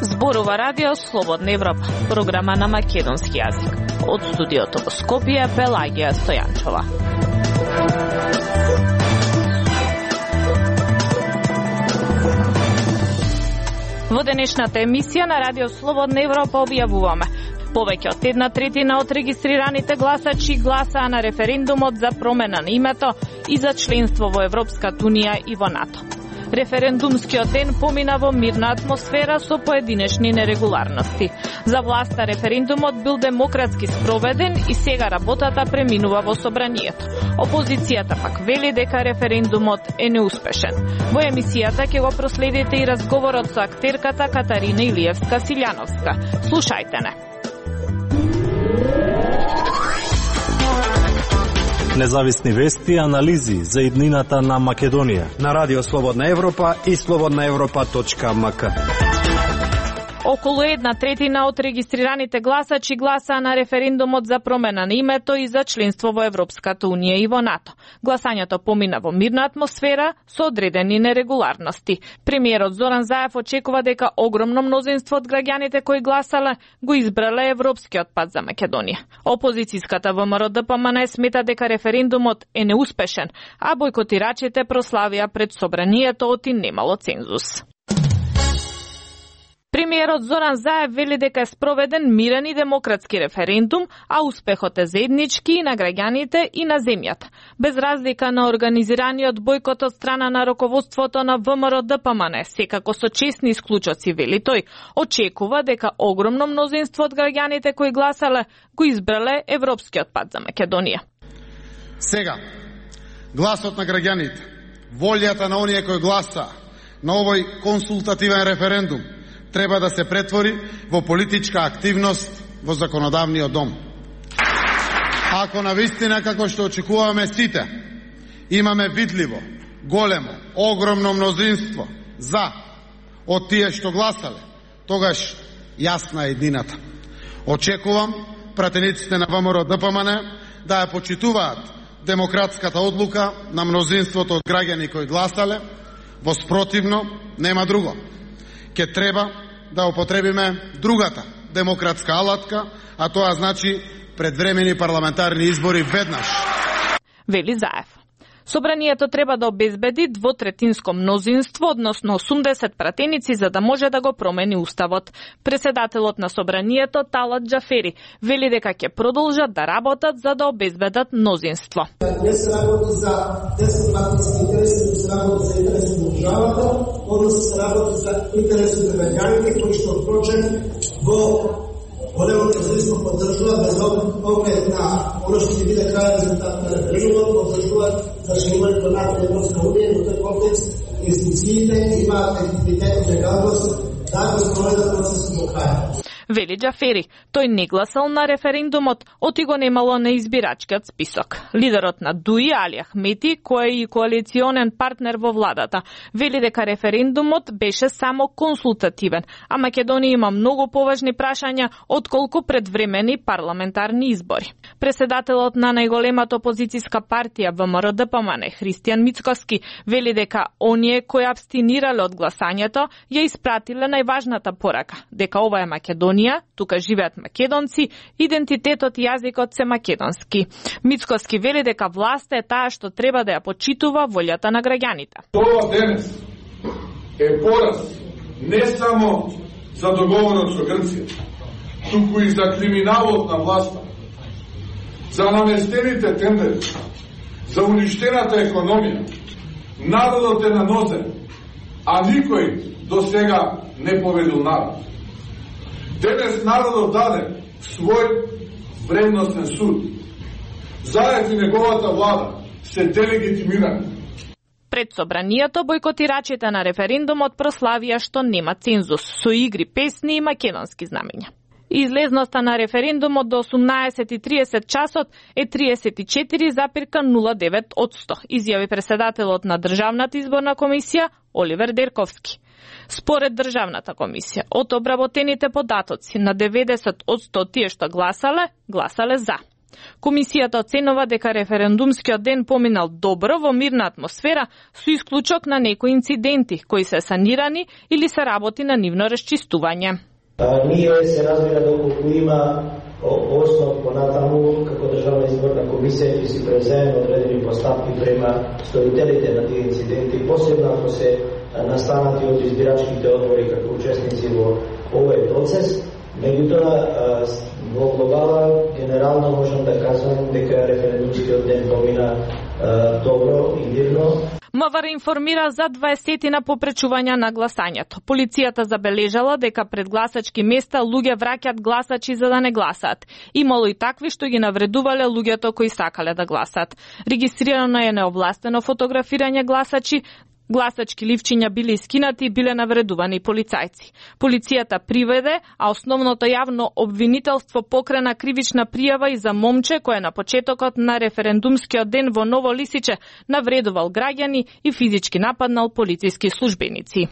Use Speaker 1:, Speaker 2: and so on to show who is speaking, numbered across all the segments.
Speaker 1: Зборува Радио Слободна Европа, програма на македонски јазик. Од студиото во Скопје, Пелагија Стојанчова. Во денешната емисија на Радио Слободна Европа објавуваме: повеќе од 1/3 од регистрираните гласачи гласаа на референдумот за промена на името и за членство во Европската унија и во НАТО. Референдумскиот ден помина во мирна атмосфера со поединечни нерегуларности. За власта референдумот бил демократски спроведен и сега работата преминува во собранието. Опозицијата пак вели дека референдумот е неуспешен. Во емисијата ќе го проследите и разговорот со актерката Катарина Илиевска-Силјановска. Слушајте не.
Speaker 2: Независни вести и анализи за иднината на Македонија
Speaker 3: на Радио Слободна Европа и slobodnaevropa.mk.
Speaker 1: Околу 1/3 од регистрираните гласачи гласаа на референдумот за промена на името и за членство во Европската унија и во НАТО. Гласањето помина во мирна атмосфера со одредени нерегуларности. Премиерот Зоран Заев очекува дека огромно мнозинство од граѓаните кои гласале го избрале европскиот пат за Македонија. Опозицијската ВМРО-ДПМН смета дека референдумот е неуспешен, а бојкотирачите прославија пред собранието оти немало цензус. Премиерот Зоран Заев вели дека е спроведен мирен и демократски референдум, а успехот е заеднички и на граѓаните и на земјата. Без разлика на организираниот бојкот од страна на раководството на ВМРО-ДПМН, секако со честни исклучоци, вели тој, очекува дека огромно мнозинство од граѓаните кои гласале го избрале европскиот пат за Македонија.
Speaker 4: Сега, гласот на граѓаните, волјата на оние кои гласа на овој консултативен референдум треба да се претвори во политичка активност во законодавниот дом. Ако навистина, како што очекуваме сите, имаме видливо, големо, огромно мнозинство за од тие што гласале, тогаш јасна е едината. Очекувам пратениците на ВМРО-ДПМН да ја почитуваат демократската одлука на мнозинството од граѓани кои гласале, во спротивно нема друго. Ке треба да употребиме другата демократска алатка, а тоа значи предвремени парламентарни избори веднаш.
Speaker 1: Вели Заев. Собранието треба да обезбеди двотретинско мнозинство, односно 80 пратеници, за да може да го промени уставот. Председателот на собранието Талат Џафери вели дека ќе продолжат да работат за да обезбедат мнозинство.
Speaker 5: Не се работи за деснопартиски интереси, не се работи за интереси на државата, односно се работи за интереси на граѓаните кои што впрочем во големото мнозинство поддржува без оглед на оно што ќе биде крајен резултат на референдумот, поддржуваат зашивањето на Европска унија. Во тој контекст институциите имаат легитимитет и легалност да го спроведат процесот до крај.
Speaker 1: Вели Џафери, тој не гласал на референдумот, оти го немало на избирачкиот список. Лидерот на ДУИ, Али Ахмети, кој е и коалиционен партнер во владата, вели дека референдумот беше само консултативен, а Македонија има многу поважни прашања отколку предвремени парламентарни избори. Преседателот на најголемата опозицијска партија ВМРО-ДПМН, Христијан Мицкоски, вели дека оние кои абстинирале од гласањето ја испратиле најважната порака, дека ова е Македонија, тука живеат македонци, идентитетот и јазикот се македонски. Мицкоски вели дека власта е таа што треба да ја почитува волјата на граѓаните.
Speaker 6: Тоа денес е пораз не само за договорот со Грција, туку и за криминалот на власта, за наместените тендери, за уништената економија. Народот е на нозе, а никој до сега не поведил народ. Денес народот даде свој вредностен суд. Заев и неговата влада се делегитимирани.
Speaker 1: Пред собранието бојкотирачите на референдумот прославија што нема цензус, со игри, песни и македонски знамења. Излезноста на референдумот до 18:30 часот е 34,09%, изјави преседателот на Државната изборна комисија Оливер Дерковски. Според Државната комисија, од обработените податоци на 90% од тие што гласале за. Комисијата оценува дека референдумскиот ден поминал добро во мирна атмосфера со исклучок на некои инциденти кои се санирани или се работи на нивно расчистување.
Speaker 7: Ние се разбира доколку има основ понатаму како државна изборна комисија ќе си преземе одредени постапки према стоителите на тие инциденти, посебно ако се настанати од избирачките одбори како учесници во овој процес. Меѓутоа, во глобала, генерално можам да кажам дека референдумскиот ден помина добро и мирно.
Speaker 1: МВР информира за 20 попречувања на гласањето. Полицијата забележала дека пред гласачки места луѓе враќаат гласачи за да не гласаат. Имало и такви што ги навредувале луѓето кои сакале да гласаат. Регистрирано е неовластено фотографирање гласачи, гласачки ливчиња биле искинати и биле навредувани полицајци. Полицијата приведе, а основното јавно обвинителство покрена кривична пријава и за момче кој на почетокот на референдумскиот ден во Ново Лисиче навредувал граѓани и физички нападнал полициски службеници.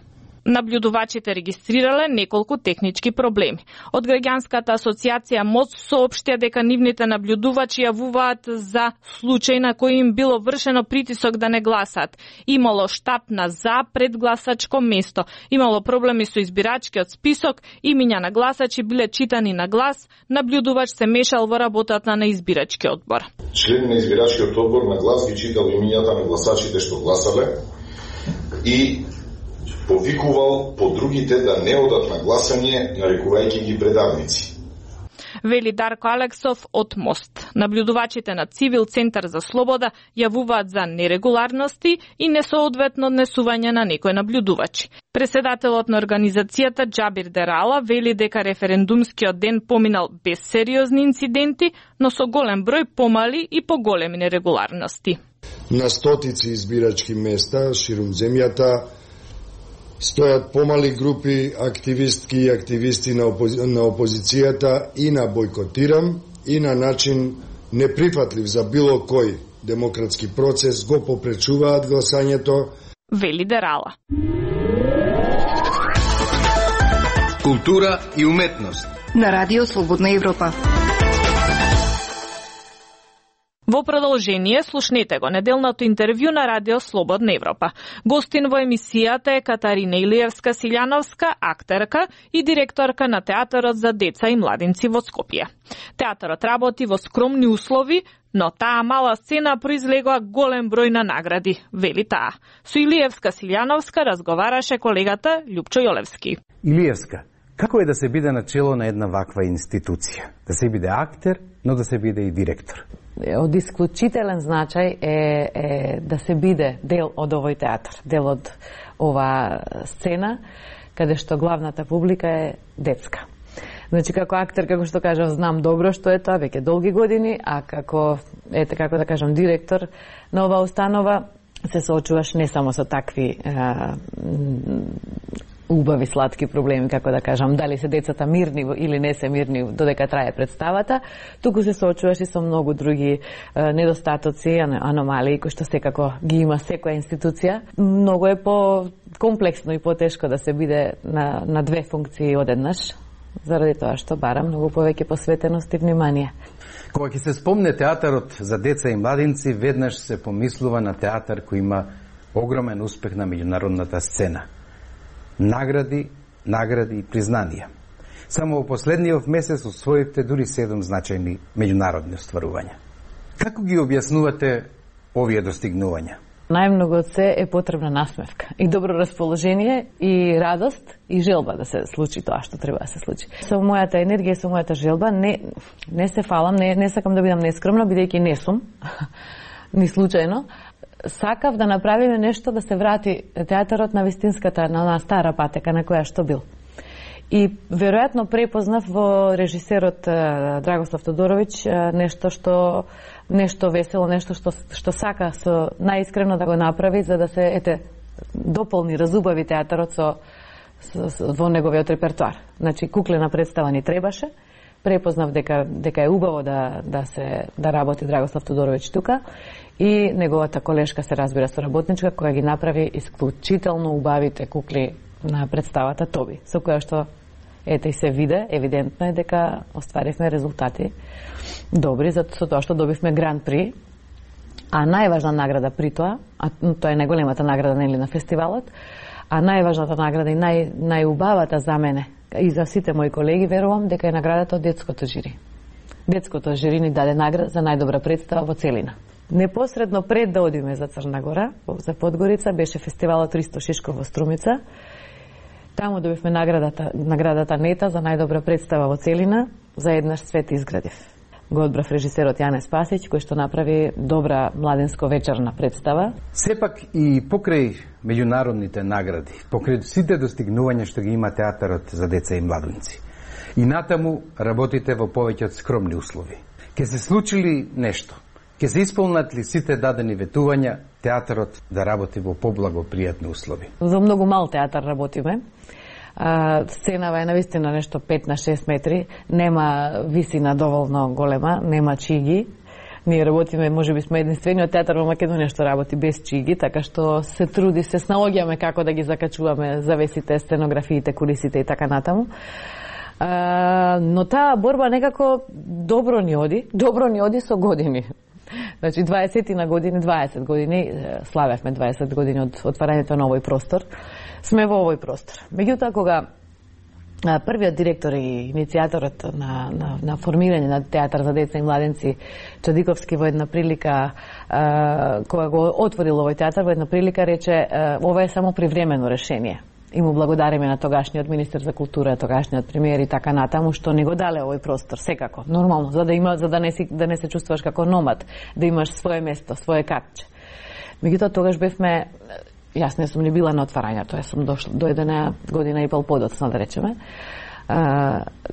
Speaker 1: Наблюдувачите регистрирале неколку технички проблеми. Од граѓанската асоциација МОЦ соопштија дека нивните наблюдувачи јавуваат за случај на кој им било вршено притисок да не гласаат. Имало штап на за предгласачко место. Имало проблеми со избирачкиот список, имиња на гласачи биле читани на глас, наблюдувач се мешал во работата на избирачки одбор.
Speaker 8: Член на избирачкиот одбор на глас ги читал имињата на гласачите што гласале и повикувал по другите да не одат на гласање, нарекувајќи ги предавници.
Speaker 1: Вели Дарко Алексов од МОСТ. Наблюдувачите на Цивил Центар за слобода јавуваат за нерегуларности и несоодветно однесување на некои наблюдувачи. Преседателот на организацијата Џабир Дерала вели дека референдумскиот ден поминал без сериозни инциденти, но со голем број помали и поголеми нерегуларности.
Speaker 9: На стотици избирачки места ширум земјата стојат помали групи активистки и активисти на опозицијата и на бойкотирам и на начин неприфатлив за било кој демократски процес го попречуваат гласањето.
Speaker 1: Вели Дерала.
Speaker 10: Култура и уметност
Speaker 11: на Радио Слободна Европа.
Speaker 1: Во продолжение, слушнете го неделното интервју на Радио Слободна Европа. Гостин во емисијата е Катарина Илиевска-Силјановска, актерка и директорка на Театарот за деца и младинци во Скопје. Театарот работи во скромни услови, но таа мала сцена произлегува голем број на награди, вели таа. Со Илиевска-Силјановска разговараше колегата Љупчо Јолевски.
Speaker 12: Илиевска, како е да се биде на чело на една ваква институција? Да се биде актер, но да се биде и директор.
Speaker 13: Од исклучителен значај е да се биде дел од овој театар, дел од ова сцена, каде што главната публика е детска. Значи, како актер, како што кажав, знам добро што е тоа, веќе долги години, а како да кажам, директор на оваа установа, се соочуваш не само со такви убави, сладки проблеми, како да кажам, дали се децата мирни или не се мирни додека трае представата, туку се соочуваш и со многу други недостатоци, аномалии, кои што секако ги има секоја институција. Многу е по-комплексно и по-тешко да се биде на две функции одеднаш, заради тоа што бара многу повеќе посветеност и внимание.
Speaker 12: Кога ќе се спомне театарот за деца и младинци, веднаш се помислува на театар кој има огромен успех на меѓународната сцена. Награди и признанија. Само во последниот месец освоивте дури 7 значајни меѓународни остварувања. Како ги објаснувате овие достигнувања?
Speaker 13: Најмногу од се е потребна насмевка и добро расположение и радост и желба да се случи тоа што треба да се случи. Со мојата енергија, со мојата желба не се фалам, не сакам да бидам нескромна, бидејќи не сум, ни случајно. Сакав да направиме нешто да се врати театарот на вистинската, на стара патека на која што бил. И веројатно препознав во режисерот Драгослав Тодоровиќ нешто весело, нешто што сака со најискрено да го направи за да се дополни, разубави театарот во неговиот репертоар. Значи куклена представа ни требаше. Препознав дека е убаво да работи Драгослав Тодоровиќ тука и неговата колешка се разбира соработничка која ги направи исклучително убавите кукли на представата Тоби, со која што и се виде, евидентно е дека остваривме резултати добри за тоа што добивме Гран При, а најважна награда при тоа, а тоа е најголемата награда нели на фестивалот, а најважната награда и најубавата за мене и за сите мои колеги, верувам дека е наградата од детското жири. Детското жири ни даде награда за најдобра представа во целина. Непосредно пред да одиме за Црна Гора, за Подгорица, беше фестивалот Ристо Шишков во Струмица. Таму добивме наградата Нета за најдобра представа во целина, за еднаш свет изградив. Го одбрав режисерот Јане Спасич, кој што направи добра младенско вечерна представа.
Speaker 12: Сепак и покрај меѓународните награди, покрај сите достигнувања што ги има театарот за деца и младенци, и натаму работите во повеќе од скромни услови. Ке се случили нешто? Ке се исполнат ли сите дадени ветувања театарот да работи во поблагопријатни услови?
Speaker 13: Во многу мал театар работиме. Сценава е навистина нешто 5 на 6 метри, нема висина доволно голема, нема чиги. Ние работиме, можеби сме единствениот театар во Македонија што работи без чиги, така што се труди, се снаоѓаме како да ги закачуваме завесите, сценографиите, кулисите и така натаму. Но таа борба некако добро ни оди со години. Значи 20 години славевме 20 години од отварањето на овој простор. Сме во овој простор. Меѓутоа, кога првиот директор и иницијаторот на формирање на театар за деца и младенци Чадиковски во една прилика, кога го отворил овој театар, во една прилика рече ова е само привремено решение. И му благодариме на тогашниот министер за култура, тогашниот премиер и така натаму, што не го дале овој простор, секако, нормално, за да не се чувствуваш како номад, да имаш свое место, свое катче. Меѓутоа, тогаш бевме, јас не сум ни била на отварањето, јас сум дојдена година и пол подоцна, да речеме,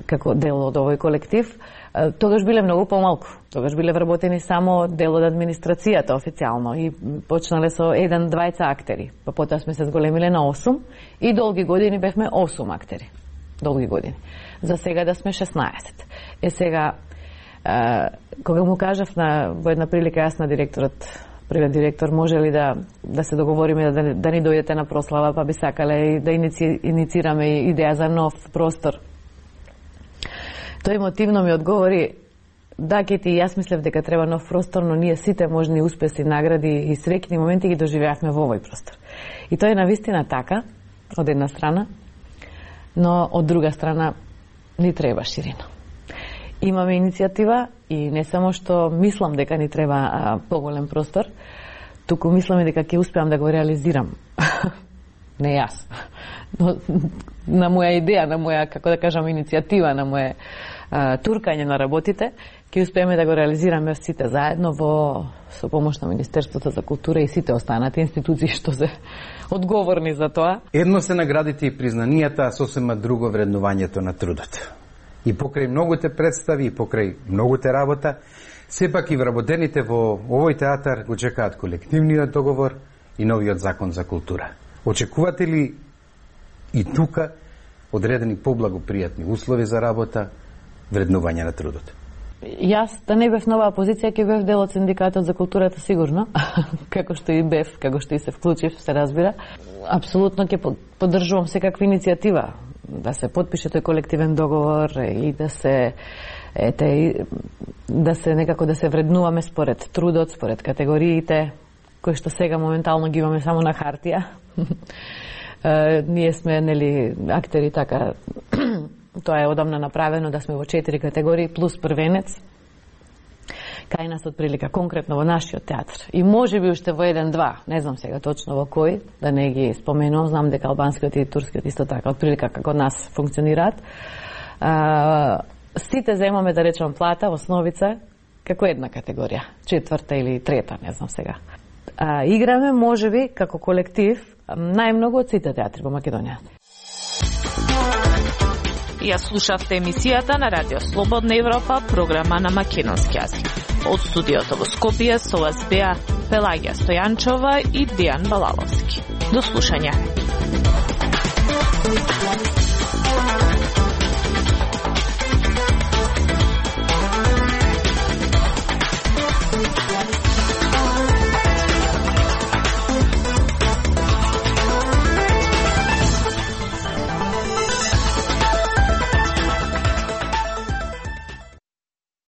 Speaker 13: како дел од овој колектив. Тогаш биле многу помалку. Тогаш биле вработени само дел од администрацијата официјално и почнале со 1-2 актери. Па потоа сме се зголемиле на 8 и долги години бевме 8 актери. Долги години. За сега да сме 16. Сега, кога му кажав во една прилика јас на директорот, првиот директор, може ли да се договориме да ни дојдете на прослава, па би сакале да иницираме идеја за нов простор. Тој мотивно ми одговори, да, Кети, јас мислев дека треба нов простор, но ние сите можни успеси, награди и среќни моменти ги доживеавме во овој простор. И тоа е навистина така, од една страна, но од друга страна ни треба ширина. Имаме иницијатива и не само што мислам дека ни треба поголем простор, туку мислам дека ќе успеам да го реализирам. Не јас. Но на моја идеја, на моја, како да кажам, иницијатива, на моје туркање на работите, ќе успееме да го реализираме сите заедно со помош на Министерството за култура и сите останати институции што се одговорни за тоа.
Speaker 12: Едно се наградите и признанијата, а сосема друго вреднувањето на трудот. И покрај многуте представи, и покрај многуте работа, сепак и вработените во овој театар го чекаат колективниот договор и новиот закон за култура. Очекувате ли и тука одредени поблагопријатни услови за работа, вреднување на трудот?
Speaker 13: Јас да не бев на оваа позиција, ќе бев дел од синдикатот за културата сигурно, како што и бев, како што и се вклучив, се разбира. Апсолутно ќе поддржувам секаква иницијатива да се потпише тој колективен договор и да се некако да се вреднуваме според трудот, според категориите, кои што сега моментално ги имаме само на хартија. Ние сме, нели, актери така, тоа е одамна направено да сме во 4 категории плюс првенец. Кај нас од прилика, конкретно во нашиот театар. И може би уште во 1-2, не знам сега точно во кој, да не ги споменувам, знам дека албанскиот и турскиот исто така, од прилика како нас функционираат. Сите земаме, да речем, плата, основица, како една категорија, 4-та или 3-та, не знам сега. Играме, може би, како колектив, најмногу од сите театри во Македонија.
Speaker 1: Ја слушавте емисијата на Радио Слободна Европа, програма на македонски јазик. Од студиото во Скопје со вас беа Пелагија Стојанчова и Дијан Балаловски. До слушање.